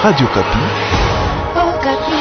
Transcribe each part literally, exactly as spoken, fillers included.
Radio Okapi. Oh, Okapi.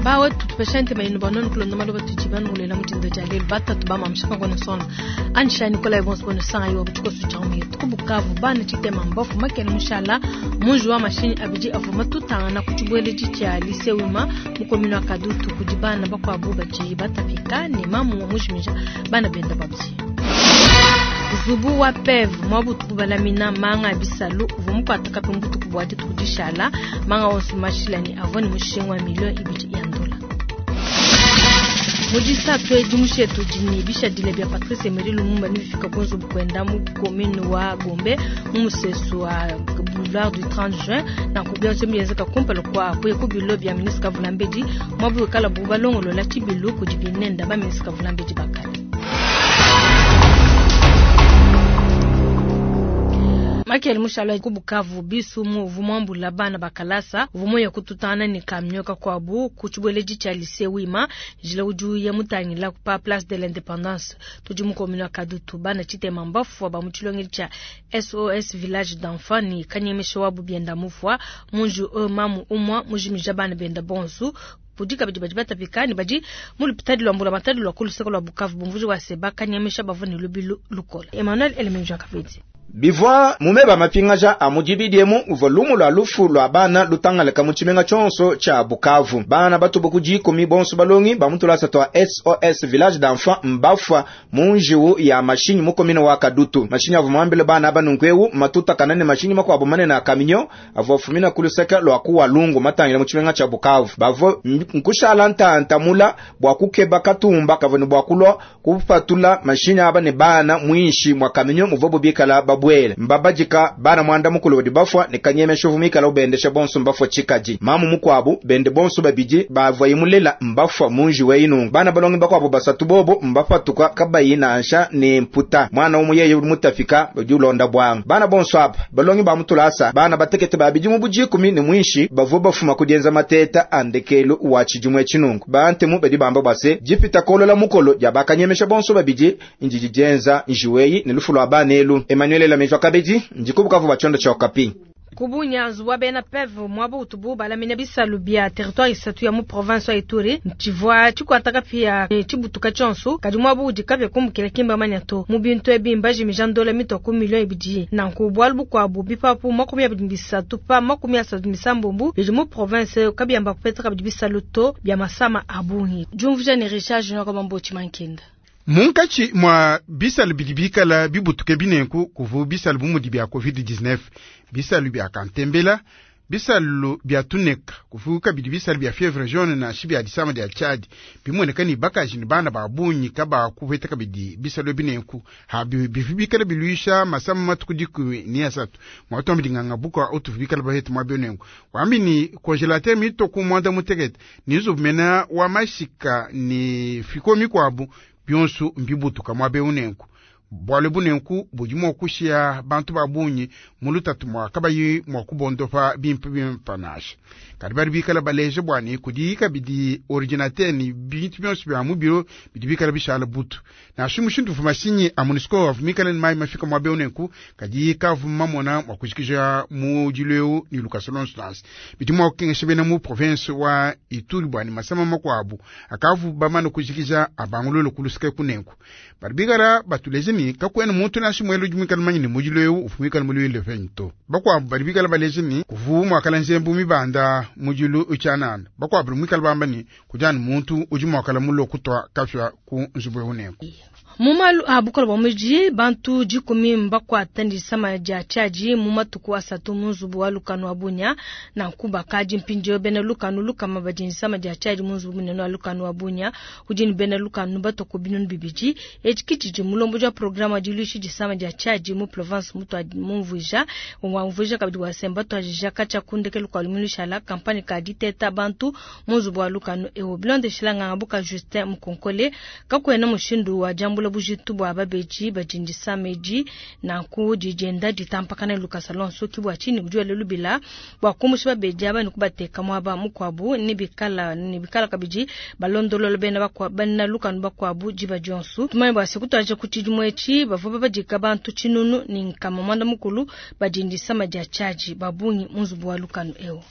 Bawe tutupesha mayinu banoni kulonda malo batuji banulela mutindo ja lelo batatu bamamshaka kona sona ansha Nicolas Evans bono sanga yo butuko suchamu yetu kubukavu bana chitema mbofu makene mushala munju wa mashini abiji avuma tutangana kuchibwele chicha lycée wima mukomino akadutu kujibana bakwabu baji batapika ne mamu mujimija bana benda babji Zubu wa P E V mwabutu kubalamina manga bisalu vumukwata kapimbutu kubwate tukudishala manga onsu mashilani avoni mushengwa milioni ibiti ya ndola. Mujisa twe jumushetu jini bisha dile bya Patrice Emery Lumumba nibifika kunzu bukwenda mu commune wa Gombe mu musesu wa boulevard du trente juin na kubya nsemiyezeka kumpelo kwa kuye kubilo bya ministre Kavulambedi mwabu kala bubalongolo la chibilu kujibinenda ba ministre Kavulambedi bakali. Michael Mushala kubukavu bisu mu vumwambula bana bakalasa vumoya kututana ni kamnyoka kwabu kuchibweleji cha lycée wima jila uju ya mutangila pa place de l'indépendance tuji mukomino kadutu bana chitema mbafu ba muchilongeli cha S O S village d'enfants ni kanyemesho wabu bienda mufwa munju e mamu umwa mujimija bana benda bonsu pudika badi badi batapikani badi mulipitadi lwa mbula matadi lwa kuluseko lwa Bukavu bumvuji wa seba kanyemesha bavuni lubilu lukola Emmanuel Elemenja Kavidi. Bivwa mumeba mapingaja a mujibidiemu uva lumu lwa lufu lwa bana lutangaleka mu tshimenga tshonso tsha Bukavu. Bana batubu ku dikumi bonso balongi ba mutulasa twa S O S village d'enfants mbafwa mu njiwu ya mashinyi mu komine wa Kadutu. Mashinyi avua muambile bana aba nunku matuta kanane mashinyi makuabu manene a kaminyo avua fumina ku luseke lwa kuwa lungu matangila mu tshimenga tsha Bukavu. Bavua nkushala ntanta mula bua kukeba katumba kavua ne bua kulua kupatula mashinyi aba ne bana mwinshi mwa kaminyo muvua bubikala babu bwele mbabajika bana mwanda mukulu wadi bafwa ne kanyeme shovu mikala ubendesha bonso mbafwa chikaji mamu mukwabu bende bonso babiji bavwa imulela mbafwa munji weinu bana balongi bakwabu basatu bobo mbafatuka kabayi nansha ne mputa mwana umuyeye mutafika badi ulonda bwanga bana bonso apa balongi ba mutulasa bana batekete babiji mu bujikumi ne mwinshi bavwa bafuma kudienza mateta andekelu wa chijumwe chinungu bantemu badi bamba base jipita kolola mukolo jabakanyemesha bonso babiji injiji jenza njiweyi ne lufu lwa banelu Emmanuel la Mejwa Kabedi ndikubukavu bachondo cha Okapi. Kubunya zuwa bena P E V mwabo utubu balamina bisalu bya territoire isatu ya mu province ya Ituri ntivwa chikwataka pia chibutuka chonso kadi mwabo udikavya kumbukila kimba manyato mu bintu ebimba jimija ndola mitoko milioni ibidi na nkubwa bukwabu bipapu makumi abiri bisatu pa makumi asatu misambumbu bidi mu province kabyamba kupeta kabidi bisalu to bya masama abungi Jumvuja ni Richard Junior Kabambo Chimankenda. Munkachi mwa bisalu bidi bikala bibutuke binenku kuvu bisalu bumudi bya covid dix-neuf, bisalu bya kantembela, bisalu bya tuneka, kuvu kabidi bisalu bya fievre jaune na shi bya disama dia Chad, bimoneka ni bakaji ni bana ba bunyi kaba kuveta kabidi bisalu binenku, ha bivi bikala biluisha masama matuku dikumi ni asatu, mwa tombi dinganga buka otu bikala bahete mwa binenku. Wambi ni congélateur mito ku mwanda mutekete, ni zubmena wa mashika ni fiko mikwabu, bionso mbibutuka mwa beunenku. Bwale bunenku budi mwa kushia bantu ba bunyi mulutatu mwa kabayi mwa kubondopa bimpe bimpe nasha. Kadi bari bikala baleje bwani kudi kabidi ordinateur ni bintu bionso bya mu biro bidi bikala bishala butu. Na shimu shintu fu mashinyi a MONUSCO avumikala ni mai mafika mwa beunenku kadi kavu mamona mwa kushikisha mu jileu ni Lucas Lonstans. Bidi mwa kukengesha bena mu province wa Ituri bwani masama makwabu akavu bamano kushikisha abangulolo kulusike kunenku. Bari bikala batuleje ni kakwena muntu nashi mwelo jumikala manyini mujileu ufumikala mulwile fento. Bakwa bari bikala baleje ni kuvu mwakala nzembu mibanda mujilu uchanana. Bakwa bari mwikala bamba ni kujani muntu uji mwakala mulo kutwa kafya ku nzubwe unenku. Mumalu abukola bwa muji bantu jikumi mbakwa tandi sama ja chaji mumatuku asatu munzubu wa lukanu abunya na nkuba kaji mpinjo bena lukanu lukama bajini sama ja chaji munzubu muneno wa lukanu abunya ujini bena lukanu batoko binunu bibiji echikichiji mulombo ja programa jilushi jisama ja chaji mu province mutu mumvuja wa mvuja kabidi wa semba to ajija kacha kundeke lukwa lumilushala kampani ka diteta bantu munzubu wa lukanu ewo bilonde shilanga ngabuka Justin Mukonkole kakwena mushindu wa jambu diambula bujitu bua babedi badi ndisama edi nanku dijenda ditampakana lukasa lonso ke bua tshinyi udi wela lubila bua kumusha babedi aba ne kubateka muaba mukuabu ne bikala ne bikala kabidi balondolola bena bakwa bena lukanu bakuabu diba dionso. Tumanye bua se kutuadija ku tshidimu etshi bavua babadika bantu tshinunu ne nkama muanda mukulu badi ndisama dia tshiadi ba bungi mu nzubu wa lukanu eu.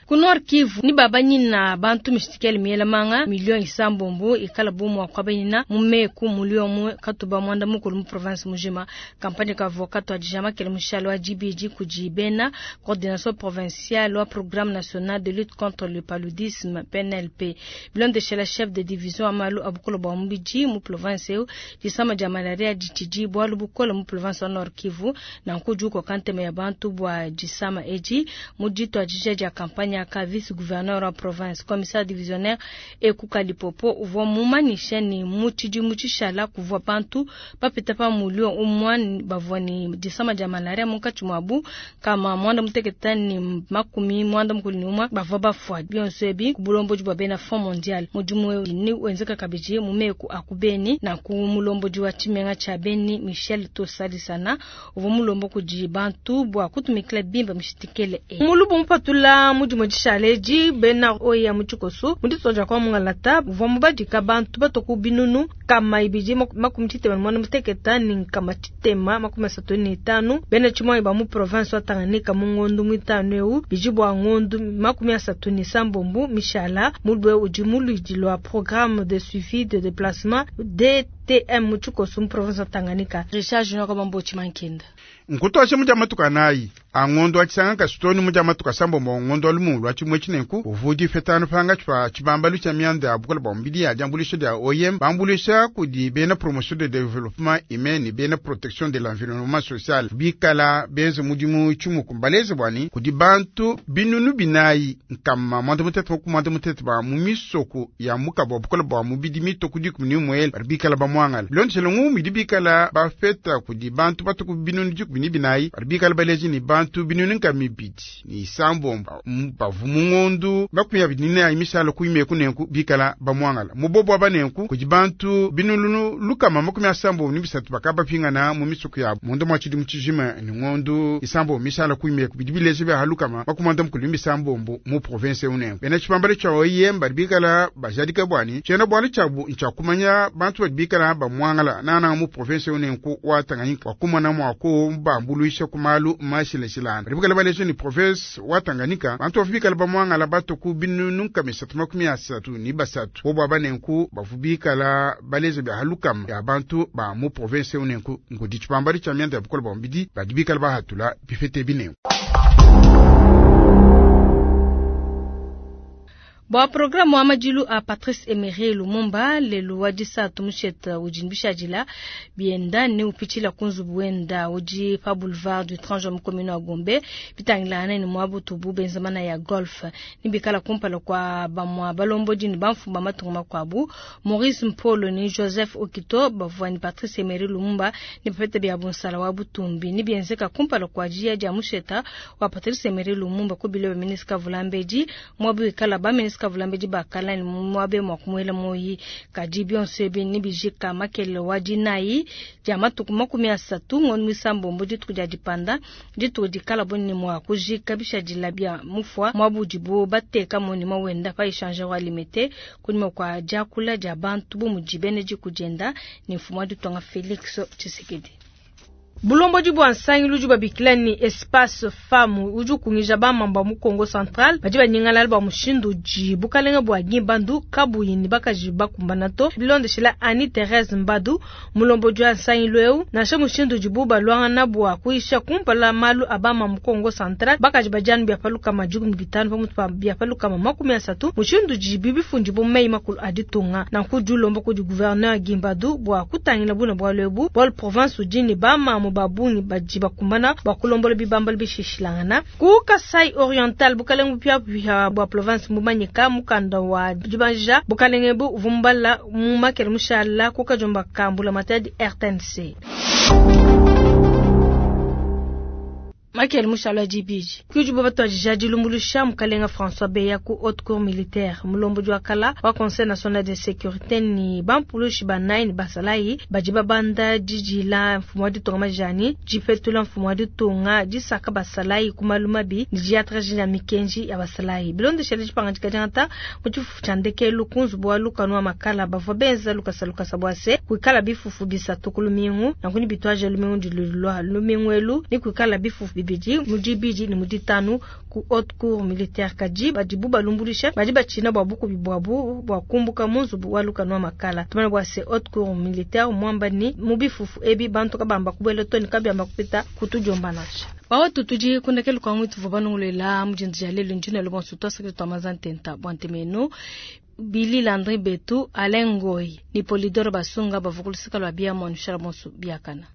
Ku Nord Kivu ni babanyina bantu mishitikele miela manga million isambombo ikala bomu wa kwabanyina mu meku mulio mu katuba mwanda mukulu mu province mujima. Kampani ka avocat wa dijama kele mushalo wa G B G kudi bena coordination provinciale wa programme national de lutte contre le paludisme P N L P. Bilondeshela chef de division amalu abukolo bwa mubidi mu province eu, disama dia malaria ditshidi bualu bukola mu province wa Nord Kivu nanku juko kanteme ya bantu bua disama edi. Mu dituadija dia campagne aka, vice gouverneur wa province, commissaire divisionnaire Ekuka Lipopo uvua mumanyisha ne mu tshidimu tshishala kuvua bantu bapita pa mulio umue bavua ne disama dia malaria, munkatshi muabu kama muanda mutekete ne makumi muanda mukulu ne umue bavua bafua. Bionso ebi ku bulombodi bua bena Fonds mondial. Mudimu eu ni wenzeka kabidi mu meku a ku Beni na ku mulombodi wa tshimenga tshia Beni Michel Tosalisana uvua mulomba kudi bantu bua kutumikila bimpe mishitikele e Mulubu mupatula mudimu dishale bena oya mu tshikoso mu ditonja kwa mungalata uvua mubadika bantu batoku binunu kama ibidi makumi tshitema ne muanda muteketa ne nkama tshitema makumi asatu ne itanu bena tshimwanyi ba mu province wa Tanganyika mu ngondu muitanu eu bidi bua ngondu makumi asatu ne sambombo mishala. Mulue udi muluidi lwa programme de suivi de déplacement D T M mu tshikoso mu province wa Tanganyika. Richard Junior Kabambochi Mankenda. Nkutwashe muja matuka nayi angondo achisanga kasitoni muja matuka sambombo ngondo alumu lwa chimwe chinenku uvudi fetano panga chpa chibambalu cha mianda ya bukola bwa mbili ya jambulisho dia O I M bambulisha kudi bena promotion de développement humain ni bena protection de l'environnement social bikala benze mudimu chimuku mbaleze bwani kudi bantu binunu binayi nkama mwanda mutete ku mwanda mutete ba mu misoko ya mukabo bukola bwa mubidi mito kudi kumini mwele bari bikala bamwangala bilondeshele ngumi di bikala bafeta kudi bantu batuku binunu dikumi ni binayi bari bikala baleji ni bantu binunu nkama ibidi ni isambombo bavu mu ngondu makumi abidi ni misalo kuimeku nenku bikala bamwangala mubobo abanenku kudi bantu binunu lukama makumi asambombo ni bisatu bakaba pingana mu misoko yabo mundu mwa tshidimu tshijima ni ngondu isambombo misalo kuimeku bidi bileji bya halukama makumi anda mukulu misambombo mu province unenku. Bena tshipambalo tsha O I M bari bikala bajadika bwani tshiena bwalo tshabu ntshakumanya bantu badi bikala bamwangala nana mu province unenku wa Tanganyika wakumana mwako bambuluisha kumalu mashilashilana. Badi bikala baleji ni province wa Tanganyika bantu bavu bikala bamwangala batoku binunu nkama isatu makumi asatu ni basatu bobo abanenku bavu bikala baleze bya halukama ya bantu ba mu province unenku ngudi tshipambalo tsha mianda ya bukola bwa mbidi badi bikala bahatula bifete binenku. Bua programme wa madilu a Patrice Emery Lumumba lelu wa disatu musheta udi bishadila bienda ne upitshila ku nzubu wenda udi pa boulevard du trente juin mu commune wa Gombe bitangilana ne muabutubu benzamana ya golf ni bikala kumpala kwa bamwa balombodi ne bamfumba matunga makuabu Maurice Mpolo ni Joseph Okito bavua ni Patrice Emery Lumumba ne bapete bia bunsala wa butumbi ni bienzeka kumpala kwa jia dia musheta wa Patrice Emery Lumumba ku bilo ministre Kavulambedi mwabu ikala ba ministre Kavulambedi bakala ni mwabe mwa kumwela moyi. Kadi bionso ebi ni bijika makele wa dinayi dia matuku makumi asatu ngondo misambombo, dituku dia dipanda, dituku dikala boni mwa kujika bishadila bia mufwa mwabudibu bateka moni mawenda pa échangeur wa Limete kunyuma kwa diakula dia bantu bu mudi bene dikujenda ni mfumu wa ditonga Felix Tshisekedi. Bulombodi bua nsangilu udi babikila ni Espace Femme udi ukungija bamamba mu Kongo Central badi banyingalala bua mushindu udi bukalenge bua Gimbandu kabuyi ni bakaji bakumbana to. Bilondeshela Annie Therese Mbadu, mulombodi wa nsangilu eu, nansha mushindu udibu balwangana bua kuisha kumpala malu a bama mu Kongo Central, bakaji badianu bia palukama dikumi bitanu pamutu pa bia palukama makumi asatu mushindu udi bibifundi bu meyi makulu a ditunga. Nanku udi ulomba kudi gouverneur Gimbadu bua kutangila buna bualu ebu, bualu province udi ni bamamu babungi badi bakumbana bua kulombola bibambalo bishishilangana. Ku Kasai Oriental, bukalenge bupia bua province mumanyika mukanda wa dibanja bukalenge bu uvumbala mu makele mushala ku kajomba kambula matadi R T N C. Makele mushala dibidi. Kudibo batuadija dilumbuluisha mukalenga François Beya ku haute cour militaire mulombodi wa kala wa conseil national de sécurité ni bampulushi banayi ne basalayi badi babanda didila mfumu wa ditunga majani dipetula mfumu wa ditunga disaka basalayi ku malu mabi ne diatraji ya mikenji ya basalayi bilondeshele dipangadika diangata mu tshifufu tshia ndekelu ku nzubu wa lukanu wa makala bavua benza lukasa lukasa bua se kuikala bifufu bisatu ku lumingu nanku ni bitwaje lumingu dilulwa lumingu elu ni kuikala bifufu bibidi mu dibidi ne mu ditanu ku haute cour militaire kadi badibu balumbuluisha badi batshina bua bukubi buabu bua kumbuka mu nzubu wa lukanu wa makala tumana bua se haute cour militaire mwamba ni mu bifufu ebi bantu kabamba kubuela to ne kabiamba kupita kutudiomba nansha bawatu tudi kundekelu kwa mwitu vua banungulela mudindu dia lelu ndina lubonso twasakile twamaza ntenta bua ntemenu Billy Landry Betu, Alain Ngoy ni Polidoro Basunga bavukulusika lwa bia mwanushala bonso biakana.